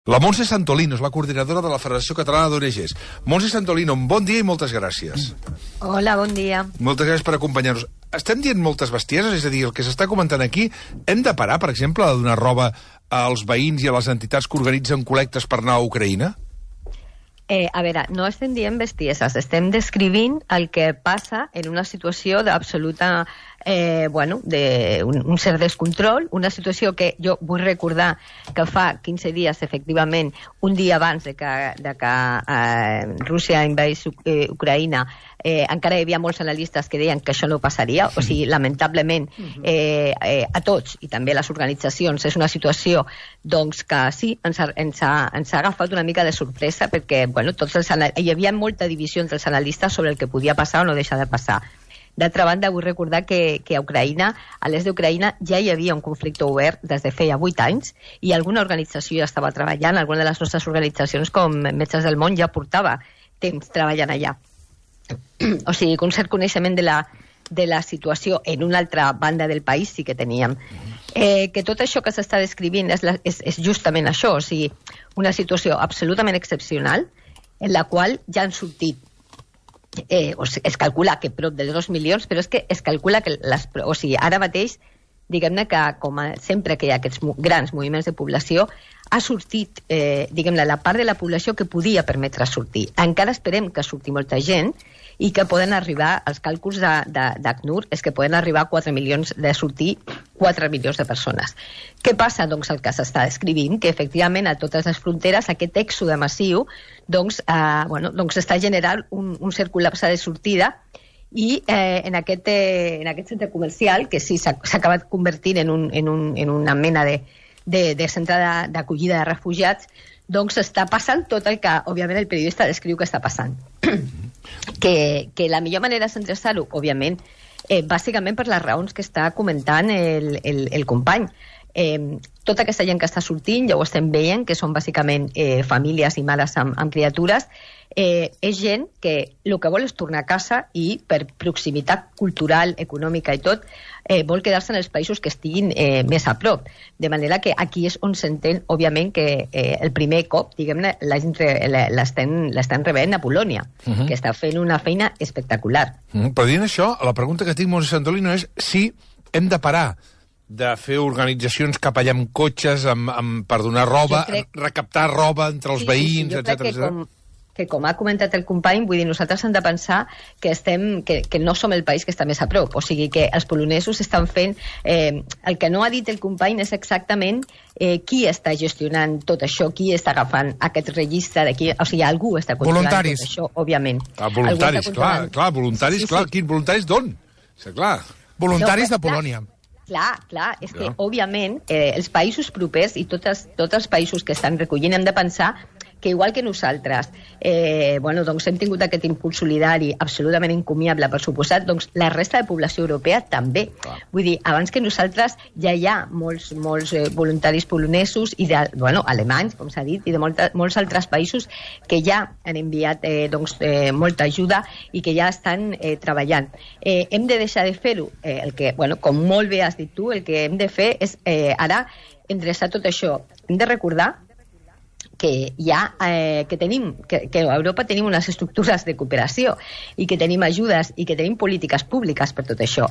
La Montse Santolino és la coordinadora de la Federació Catalana d'ONGs. Montse Santolino, bon dia i moltes gràcies. Hola, bon dia. Moltes gràcies per acompanyar-nos. Estem dient moltes bestieses, és a dir, el que s'està comentant aquí, hem de parar, per exemple, de donar roba als veïns i a les entitats que organitzen col·lectes per anar a Ucraïna? A veure, no estem dient bestieses, estem descrivint el que passa en una situació d'absoluta, d'un cert descontrol, una situació que jo vull recordar que fa 15 dies, efectivament, un dia abans de que Rússia invadís Ucraïna, encara hi havia molts analistes que deien que això no passaria, o sigui, lamentablement, a tots, i també a les organitzacions, és una situació doncs, que sí, ens ha agafat una mica de sorpresa, perquè hi havia molta divisió entre els analistes sobre el que podia passar o no deixar de passar. D'altra banda, vull recordar que a Ucraïna, a l'est d'Ucraïna, ja hi havia un conflicte obert des de feia 8 anys i alguna organització ja estava treballant, alguna de les nostres organitzacions com Metges del Món ja portava temps treballant allà. O sigui, un cert coneixement de la situació en una altra banda del país sí que teníem. Que tot això que s'està descrivint és justament això, o sigui, una situació absolutament excepcional en la qual ja han sortit es calcula que prop de 2 milions, però és que es calcula que ara mateix, diguem-ne que com sempre que hi ha aquests grans moviments de població, ha sortit, diguem-ne, la part de la població que podia permetre sortir. Encara esperem que surti molta gent i que poden arribar, els càlculs d'ACNUR és que poden arribar a 4 milions de sortir 4 milions de persones. Què passa? Doncs el que s'està descrivint, que efectivament a totes les fronteres aquest èxode massiu està generant un cert col·lapse de sortida i en aquest centre comercial, que sí s'ha acabat convertint en una mena de centre d'acollida de refugiats, doncs està passant tot el que, òbviament, el periodista descriu que està passant. Que la millor manera és endreçar-ho, òbviament, bàsicament per les raons que està comentant el company. Tota aquesta gent que està sortint, ja ho estem veient, que són bàsicament famílies i mares amb criatures, és gent que el que vol és tornar a casa i per proximitat cultural, econòmica i tot, vol quedar-se en els països que estiguin més a prop. De manera que aquí és on s'entén, òbviament, que el primer cop, diguem-ne, l'estan rebent a Polònia, que està fent una feina espectacular. Però dient això, la pregunta que tinc, Montse Santolino, és si hem de parar de fer organitzacions cap allà amb cotxes per donar roba, recaptar roba entre els veïns, etc. Que com ha comentat el company, vull dir, nosaltres hem de pensar que no som el país que està més a prop, o sigui que els polonesos estan fent el que no ha dit el company és exactament qui està gestionant tot això, qui està agafant aquest registre, o sigui, algú està controlant tot això, òbviament. Voluntaris, clar, voluntaris, clar, quins voluntaris d'on? Clar, voluntaris de Polònia. Clar, és que, òbviament, els països propers i tots els països que estan recollint hem de pensar que igual que nosaltres doncs hem tingut aquest impuls solidari absolutament encomiable, per suposat, doncs la resta de població europea també. Vull dir, abans que nosaltres ja hi ha molts voluntaris polonesos i alemanys, com s'ha dit, i de molts altres països que ja han enviat molta ajuda i que ja estan treballant. Hem de deixar de fer-ho. Com molt bé has dit tu, el que hem de fer és ara endreçar tot això. Hem de recordar que a Europa tenim unes estructures de cooperació i que tenim ajudes i que tenim polítiques públiques per tot això.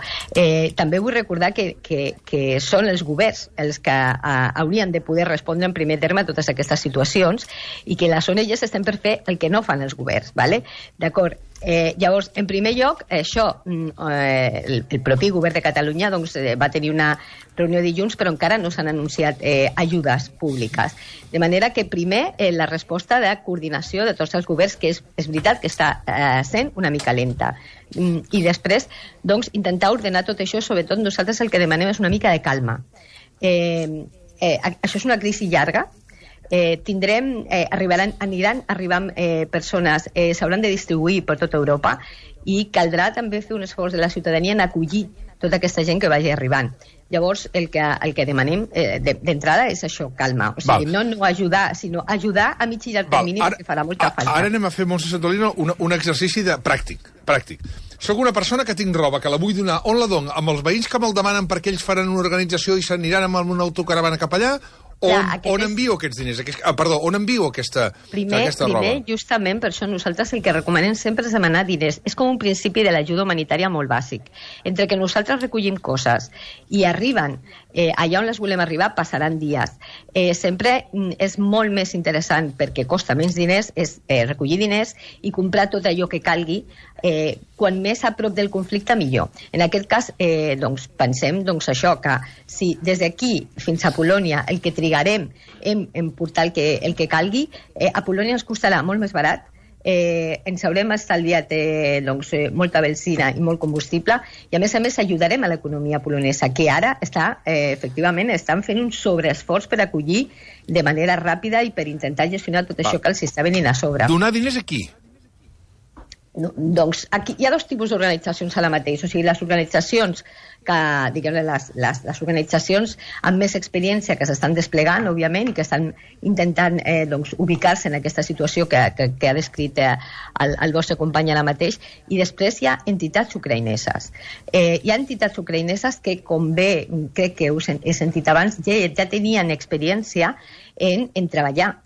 També vull recordar que són els governs els que haurien de poder respondre en primer terme a totes aquestes situacions i que les ONGs estem per fer el que no fan els governs, ¿vale? D'acord? Llavors, en primer lloc, això, el propi govern de Catalunya va tenir una reunió dilluns, però encara no s'han anunciat ajudes públiques. De manera que primer la resposta de coordinació de tots els governs, que és veritat que està sent una mica lenta. I després, doncs, intentar ordenar tot això, sobretot nosaltres el que demanem és una mica de calma. Això és una crisi llarga, aniran arribant persones, s'hauran de distribuir per tota Europa i caldrà també fer un esforç de la ciutadania en acollir tota aquesta gent que vagi arribant. Llavors, el que demanem d'entrada és això, calma. O sigui, no ajudar, sinó ajudar a mig i llarg termini, perquè farà molta falta. Ara anem a fer, Montse Santolino, un exercici pràctic. Soc una persona que tinc roba, que la vull donar. On la dono? Amb els veïns que me'l demanen perquè ells faran una organització i s'aniran amb una autocaravana cap allà? On envio aquests diners? Perdó, on envio aquesta roba? Primer, justament, per això nosaltres el que recomanem sempre és demanar diners. És com un principi de l'ajuda humanitària molt bàsic. Entre que nosaltres recollim coses i arriben allà on les volem arribar, passaran dies. Sempre és molt més interessant, perquè costa menys diners, és recollir diners i comprar tot allò que calgui. Quan més a prop del conflicte, millor. En aquest cas, pensem això, que si des d'aquí fins a Polònia el que trigarem en portar el que calgui, a Polònia ens costarà molt més barat, ens haurem estalviat molta benzina i molt combustible, i a més ajudarem a l'economia polonesa, que ara efectivament estan fent un sobreesforç per acollir de manera ràpida i per intentar gestionar tot això que els està venint a sobre. Donar diners aquí? Doncs aquí hi ha dos tipus d'organitzacions ara mateix. O sigui, les organitzacions que, diguem-ne, les organitzacions amb més experiència que s'estan desplegant, òbviament, i que estan intentant ubicar-se en aquesta situació que ha descrit el vostre company ara mateix, i després hi ha entitats ucraïneses. Hi ha entitats ucraïneses que, com bé crec que he sentit abans, ja tenien experiència en treballar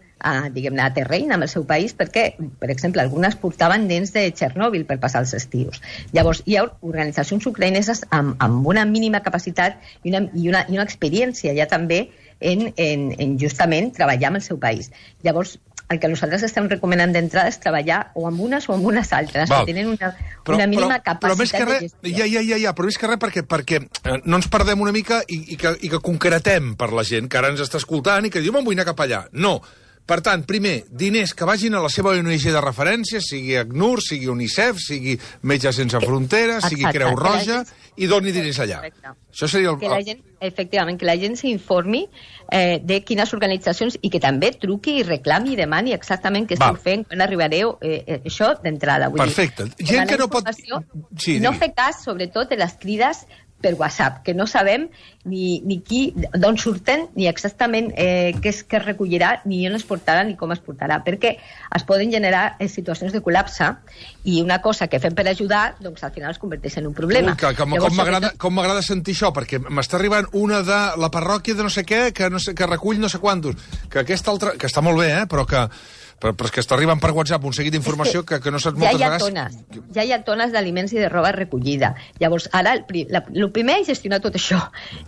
diguem-ne, a terreny amb el seu país, perquè, per exemple, algunes portaven nens de Txernòbil per passar els estius. Llavors, hi ha organitzacions ucraïneses amb una mínima capacitat i una experiència ja també en justament treballar amb el seu país. Llavors, el que nosaltres estem recomanant d'entrada és treballar o amb unes o amb unes altres, que tenen una mínima capacitat de gestió. Però més que res perquè no ens perdem una mica i que concretem per la gent que ara ens està escoltant i que diu, me'n vull anar cap allà. No. Per tant, primer, diners que vagin a la seva ONG de referència, sigui ACNUR, sigui UNICEF, sigui Metges Sense Fronteres, sigui Creu Roja, i doni diners allà. Això seria efectivament, que la gent s'informi de quines organitzacions i que també truqui i reclami i demani exactament què esteu fent, quan arribareu, això d'entrada. Perfecte. Gent que no pot... No fer cas, sobretot, de les crides per WhatsApp, que no sabem ni d'on surten, ni exactament què es recollirà, ni on es portarà, ni com es portarà, perquè es poden generar situacions de col·lapse i una cosa que fem per ajudar, doncs al final es converteix en un problema. Com m'agrada sentir això, perquè m'està arribant una de la parròquia de no sé què, que recull no sé quantos, que aquesta altra, que està molt bé, però és que està arribant per WhatsApp un seguit d'informació que no saps moltes vegades... Ja hi ha tones d'aliments i de roba recollida. Llavors, ara, el primer és gestionar tot això.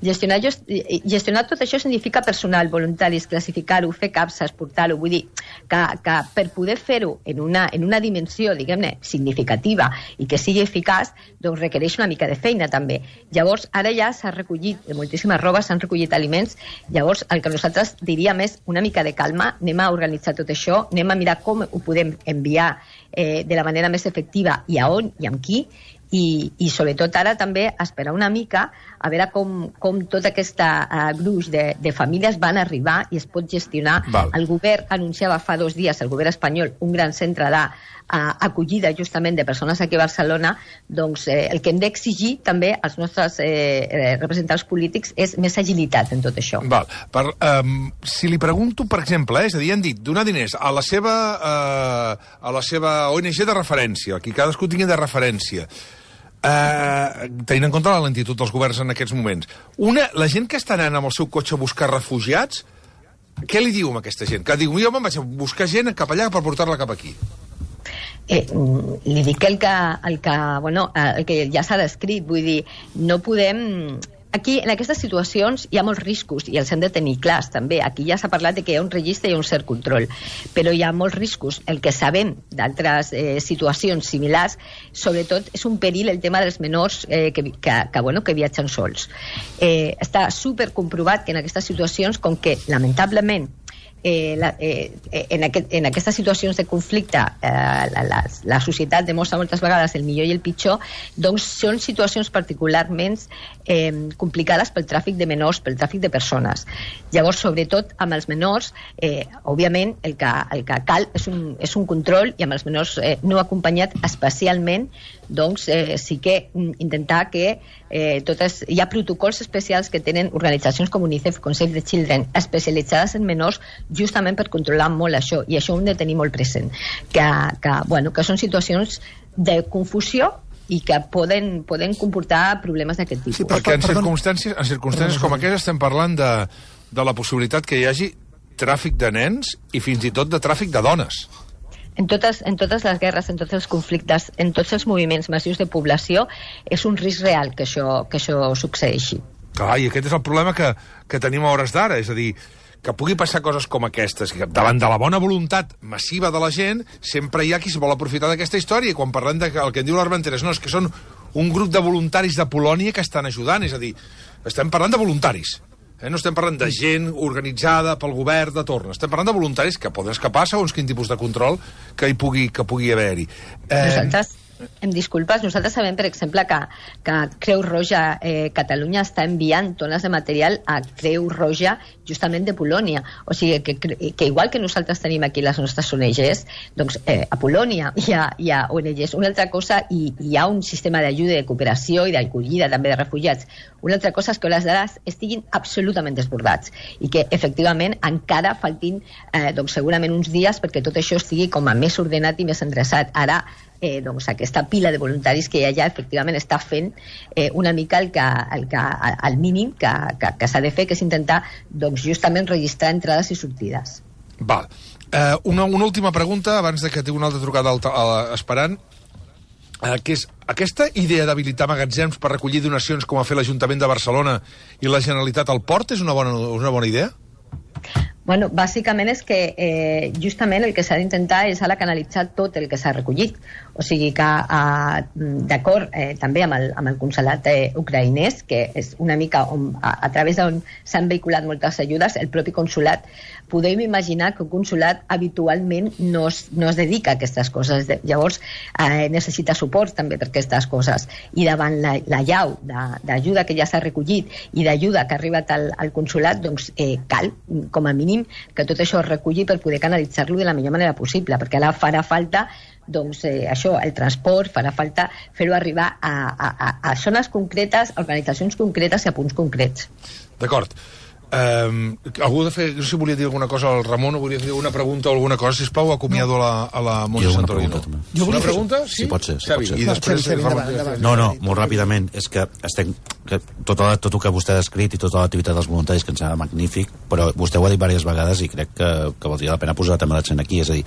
Gestionar tot això significa personal, voluntaris, classificar-ho, fer capses, portar-ho. Vull dir que per poder fer-ho en una dimensió, diguem-ne, significativa i que sigui eficaç, doncs requereix una mica de feina, també. Llavors, ara ja s'ha recollit moltíssima roba, s'han recollit aliments. Llavors, el que nosaltres diríem és una mica de calma, anem a organitzar tot això, anem a mirar com ho podem enviar de la manera més efectiva i a on i amb qui, i sobretot ara també esperar una mica a veure com tot aquest gruix de famílies van arribar i es pot gestionar. El govern anunciava fa 2 dies, el govern espanyol, un gran centre d'acollida justament de persones aquí a Barcelona. Doncs el que hem d'exigir també als nostres representants polítics és més agilitat en tot això. Si li pregunto, per exemple, és a dir, han dit donar diners a la seva ONG de referència, qui cadascú tingui de referència, tenint en compte la lentitud dels governs en aquests moments. La gent que està anant amb el seu cotxe a buscar refugiats, què li diu a aquesta gent? Que diu, jo me'n vaig a buscar gent cap allà per portar-la cap aquí. Li dic el que ja s'ha descrit, vull dir, no podem... Aquí, en aquestes situacions, hi ha molts riscos i els hem de tenir clars, també. Aquí ja s'ha parlat de que hi ha un registre i un cert control, però hi ha molts riscos. El que sabem d'altres situacions similars, sobretot, és un perill el tema dels menors que viatgen sols. Està supercomprovat que en aquestes situacions, com que, lamentablement, en aquestes situacions de conflicte la societat demostra moltes vegades el millor i el pitjor, doncs són situacions particularment complicades pel tràfic de menors, pel tràfic de persones. Llavors, sobretot amb els menors, òbviament el que cal és un control, i amb els menors no acompanyat especialment, doncs sí que intentar que hi ha protocols especials que tenen organitzacions com UNICEF, com Save the Children, especialitzades en menors, justament per controlar molt això, i això ho hem de tenir molt present, que són situacions de confusió i que poden comportar problemes d'aquest tipus. Sí, perquè en circumstàncies com aquestes estem parlant de la possibilitat que hi hagi tràfic de nens i fins i tot de tràfic de dones. En totes les guerres, en tots els conflictes, en tots els moviments massius de població, és un risc real que això succeeixi. Clar, i aquest és el problema que tenim a hores d'ara, és a dir, que pugui passar coses com aquestes, que davant de la bona voluntat massiva de la gent, sempre hi ha qui es vol aprofitar d'aquesta història, i quan parlem del que en diu l'Armenteres, no, és que són un grup de voluntaris de Polònia que estan ajudant, és a dir, estem parlant de voluntaris, no estem parlant de gent organitzada pel govern de torn, estem parlant de voluntaris que poden escapar segons quin tipus de control que pugui haver-hi. Nosaltres, em disculpes, nosaltres sabem, per exemple, que Creu Roja Catalunya està enviant tones de material a Creu Roja justament de Polònia. O sigui, que igual que nosaltres tenim aquí les nostres ONGs, doncs a Polònia hi ha ONGs. Una altra cosa, hi ha un sistema d'ajuda, de cooperació i d'acollida també de refugiats. Una altra cosa és que les dades estiguin absolutament desbordats i que, efectivament, encara faltin segurament uns dies perquè tot això estigui com a més ordenat i més endreçat. Ara, aquesta pila de voluntaris que hi ha efectivament està fent una mica el mínim que s'ha de fer, que és intentar justament registrar entrades i sortides. Val. Una última pregunta abans de que tingui una altra trucada esperant, que és aquesta idea d'habilitar magatzems per recollir donacions com ha fet l'Ajuntament de Barcelona i la Generalitat al port és una bona idea? Bueno, bàsicament és que justament el que s'ha d'intentar és ara canalitzar tot el que s'ha recollit. O sigui que, d'acord també amb el consolat ucraïnès, que és una mica a través d'on s'han vehiculat moltes ajudes, el propi consolat, podem imaginar que un consolat habitualment no es dedica a aquestes coses. Llavors, necessita suport també per aquestes coses. I davant la llau d'ajuda que ja s'ha recollit i d'ajuda que ha arribat al consolat, doncs cal, com a mínim, que tot això es reculli per poder canalitzar-lo de la millor manera possible, perquè ara farà falta el transport, farà falta fer-ho arribar a zones concretes, a organitzacions concretes i a punts concrets. D'acord. Algú no sé si volia dir alguna cosa al Ramon o volia dir una pregunta o alguna cosa, sisplau, acomiado a la Montse Santolino. Una pregunta? Sí, pot ser. I després... No, molt ràpidament. És que tot el que vostè ha descrit i tota l'activitat dels voluntaris, que ens sembla magnífic, però vostè ho ha dit diverses vegades i crec que valdria la pena posar també l'accent aquí. És a dir,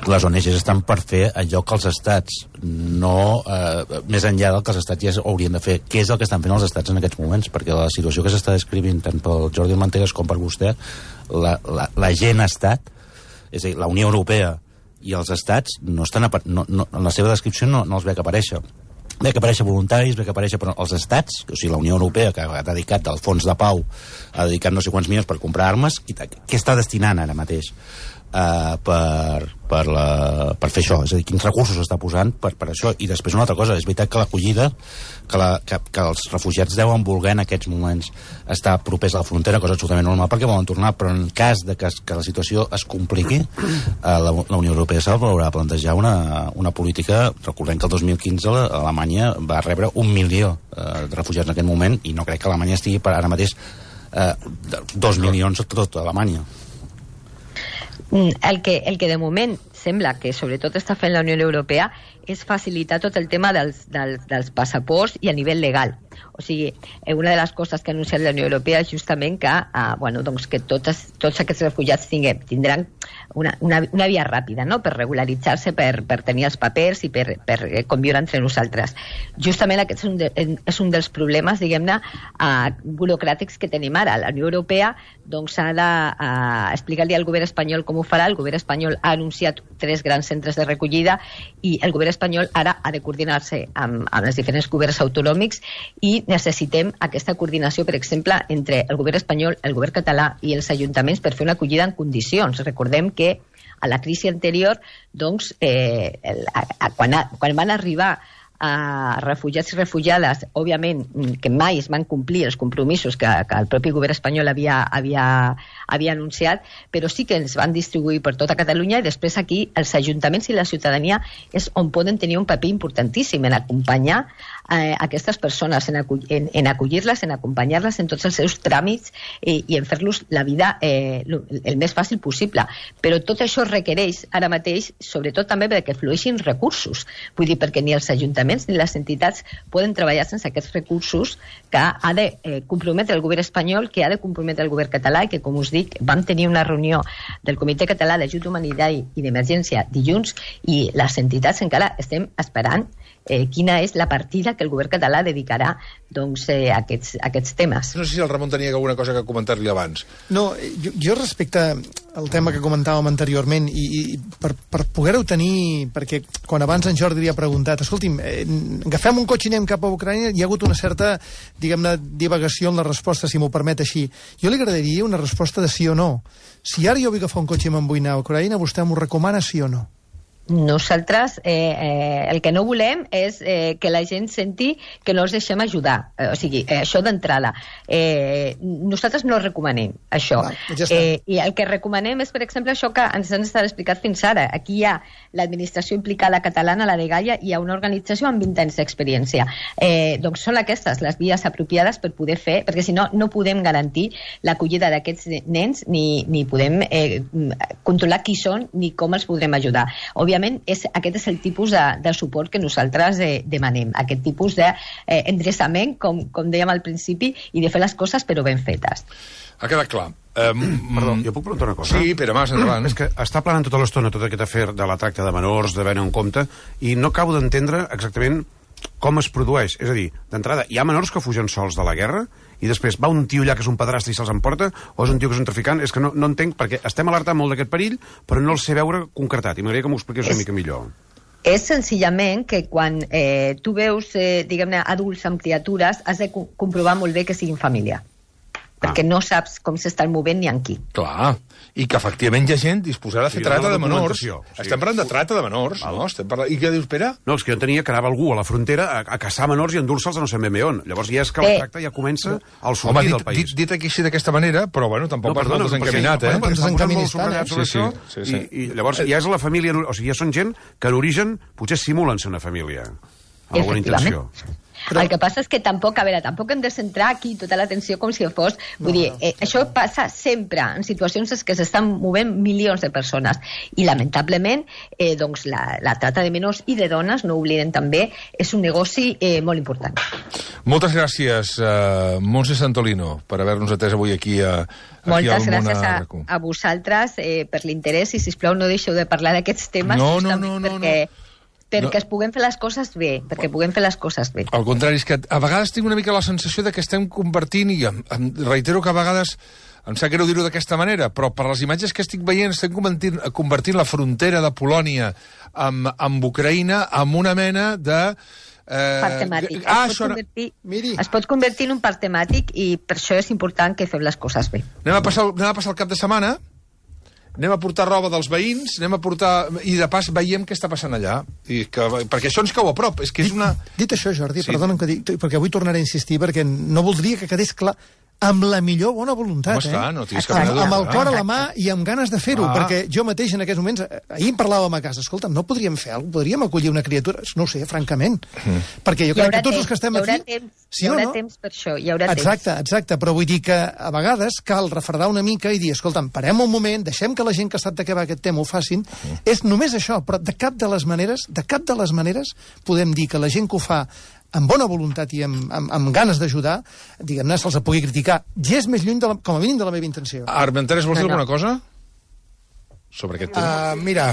les ONGs estan per fer allò que els estats no... més enllà del que els estats ja haurien de fer. Què és el que estan fent els estats en aquests moments? Perquè la situació que s'està descrivint tant pel Jordi Mantegues com per vostè, la gent estat, és a dir, la Unió Europea i els estats no estan en la seva descripció no els ve que aparèixer. Ve que aparèixer voluntaris, ve que aparèixer però els estats, o sigui, la Unió Europea, que ha dedicat al fons de pau, ha dedicat no sé quants milions per comprar armes, què està destinant ara mateix per fer això? És a dir, quins recursos està posant per això? I després una altra cosa, és veritat que l'acollida, que els refugiats deuen voler en aquests moments estar propers a la frontera, cosa absolutament normal perquè volen tornar, però en cas de que la situació es compliqui, la Unió Europea s'haurà de plantejar una política. Recordem que el 2015 Alemanya va rebre 1 milió de refugiats en aquest moment i no crec que Alemanya estigui per ara mateix 2 milions a tot Alemanya. El que de moment sembla que sobretot està fent la Unió Europea és facilitar tot el tema dels passaports i a nivell legal. O sigui, una de les coses que ha anunciat la Unió Europea és justament que tots aquests refugiats tindran una via ràpida, no?, per regularitzar-se, per tenir els papers i per conviure entre nosaltres. Justament aquest és un dels problemes, diguem-ne, burocràtics que tenim ara. La Unió Europea ha d'explicar-li al govern espanyol com ho farà. El govern espanyol ha anunciat 3 grans centres de recollida i el govern espanyol ara ha de coordinar-se amb els diferents governs autonòmics i necessitem aquesta coordinació, per exemple, entre el govern espanyol, el govern català i els ajuntaments per fer una acollida en condicions. Recordem que a la crisi anterior, doncs, quan van arribar refugiats i refugiades, òbviament que mai es van complir els compromisos que el propi govern espanyol havia anunciat, però sí que ens van distribuir per tota Catalunya i després aquí els ajuntaments i la ciutadania és on poden tenir un paper importantíssim en acompanyar aquestes persones, en acollir-les, en acompanyar-les en tots els seus tràmits i en fer-los la vida el més fàcil possible. Però tot això requereix ara mateix, sobretot també perquè flueixin recursos. Vull dir, perquè ni els ajuntaments ajuntaments ni les entitats poden treballar sense aquests recursos que ha de comprometre el govern espanyol, que ha de comprometre el govern català, i que, com us dic, vam tenir una reunió del Comitè Català d'Ajut Humanitari i d'Emergència dilluns, i les entitats encara estem esperant quina és la partida que el govern català dedicarà a aquests temes. No sé si el Ramon tenia alguna cosa que comentar-li abans. No, jo respecte al tema que comentàvem anteriorment, i per poder-ho tenir, perquè quan abans en Jordi li ha preguntat, escolti'm, agafem un cotxe i anem cap a Ucraïna, hi ha hagut una certa, diguem-ne, divagació en la resposta, si m'ho permet així. Jo li agradaria una resposta de sí o no. Si ara jo vull agafar un cotxe i me'n vull anar a Ucraïna, vostè m'ho recomana sí o no? Nosaltres el que no volem és que la gent senti que no els deixem ajudar. O sigui, això d'entrada. Nosaltres no recomanem això. Ja I el que recomanem és, per exemple, això que ens han estat explicat fins ara. Aquí hi ha l'administració implicada catalana, la de Gaia, i hi ha una organització amb 20 anys d'experiència. Doncs són aquestes les vies apropiades per poder fer, perquè si no, no podem garantir l'acollida d'aquests nens ni podem controlar qui són ni com els podrem ajudar. Òbviament, aquest és el tipus de suport que nosaltres demanem, aquest tipus d'endreçament, com dèiem al principi, i de fer les coses però ben fetes. Ha quedat clar. Perdó, jo puc preguntar una cosa? Sí, Pere Mas, endavant. És que està planant tota l'estona tot aquest afer de la tracta de menors, de veure en compte, i no acabo d'entendre exactament com es produeix. És a dir, d'entrada, hi ha menors que fugen sols de la guerra i després va un tio allà que és un pedrastre i se'ls emporta, o és un tio que és un traficant? És que no entenc, perquè estem alertant molt d'aquest perill, però no el sé veure concretat, i m'agradaria que m'ho expliqués una mica millor. És senzillament que quan tu veus, diguem-ne, adults amb criatures, has de comprovar molt bé que siguin família. Perquè no saps com s'estan movent ni en qui. Clar, i que efectivament hi ha gent disposada a fer trata de menors. Sí. Estem parlant de trata de menors, no? I què dius, Pere? No, és que jo tenia que anava algú a la frontera a caçar menors i endur-se'ls a no sé ben bé on. Llavors ja és que la tracta ja comença al sortir del país. Dit aquí així d'aquesta manera, però bueno, tampoc vas molt desencaminat, eh? I llavors ja és la família, o sigui, ja són gent que en origen potser simulen ser una família, amb alguna intenció. Però... El que passa és que tampoc hem de centrar aquí tota l'atenció com si fos... Vull dir, això passa sempre en situacions en què s'estan movent milions de persones. I, lamentablement, doncs, la trata de menors i de dones, no oblidem també, és un negoci molt important. Moltes gràcies, Montse Santolino, per haver-nos atès avui aquí a Moltes gràcies a vosaltres per l'interès, i, sisplau, no deixeu de parlar d'aquests temes perquè es puguem fer les coses bé, Al contrari, és que a vegades tinc una mica la sensació de que estem convertint, i reitero que a vegades em sap greu dir-ho d'aquesta manera, però per les imatges que estic veient estem convertint la frontera de Polònia amb Ucraïna en una mena de... parc temàtic. Es pot convertir en un parc temàtic, i per això és important que fem les coses bé. Anem a passar el cap de setmana, anem a portar roba dels veïns, i de pas veiem què està passant allà. Perquè això ens cau a prop. És que és una... Dit això, Jordi, perdona'm que dic, perquè avui tornaré a insistir, perquè no voldria que quedés clar, amb la millor bona voluntat, esclar, no tinguis cap mena de dubte. Amb el cor a la mà i amb ganes de fer-ho, perquè jo mateix en aquests moments, ahir en parlàvem a casa, escolta'm, no podríem fer alguna cosa, podríem acollir una criatura, no ho sé, francament, perquè jo crec que tots els que estem aquí... Hi haurà temps per això, hi haurà temps. Exacte, però vull dir que a vegades cal refredar una mica i dir, escolta'm, parem un moment, deixem que la gent que sap de què va aquest tema ho facin, és només això, però de cap de les maneres podem dir que la gent que ho fa amb bona voluntat i amb ganes d'ajudar, diguem-ne, se'ls pugui criticar. Ja és més lluny, com a mínim, de la meva intenció. Armenteres, vols dir alguna cosa sobre aquest tema? Mira,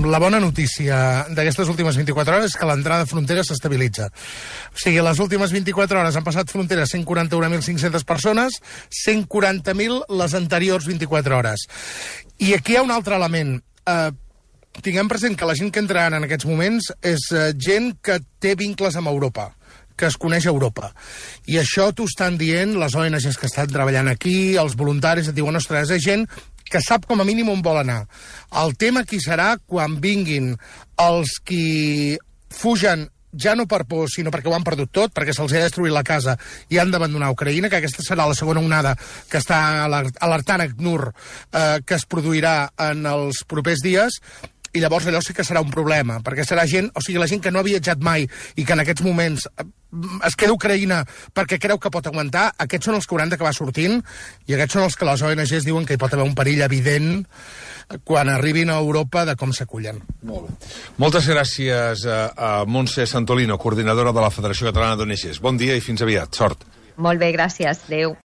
la bona notícia d'aquestes últimes 24 hores és que l'entrada de frontera s'estabilitza. O sigui, les últimes 24 hores han passat frontera 141.500 persones, 140.000 les anteriors 24 hores. I aquí hi ha un altre element. Tinguem present que la gent que entra en aquests moments és gent que té vincles amb Europa, que es coneix a Europa. I això t'ho estan dient les ONGs que estan treballant aquí, els voluntaris et diuen, ostres, és gent que sap com a mínim on vol anar. El tema aquí serà quan vinguin els qui fugen ja no per por, sinó perquè ho han perdut tot, perquè se'ls ha destruït la casa i han d'abandonar Ucraïna, que aquesta serà la segona onada que està alertant ACNUR que es produirà en els propers dies. i llavors allò sí que serà un problema, perquè serà gent, o sigui, la gent que no ha viatjat mai i que en aquests moments es queda a Ucraïna perquè creu que pot aguantar, aquests són els que hauran d'acabar sortint, i aquests són els que les ONGs diuen que hi pot haver un perill evident quan arribin a Europa de com s'acullen. Molt bé. Moltes gràcies a Montse Santolino, coordinadora de la Federació Catalana d'ONGs. Bon dia i fins aviat. Sort. Molt bé, gràcies. Adéu.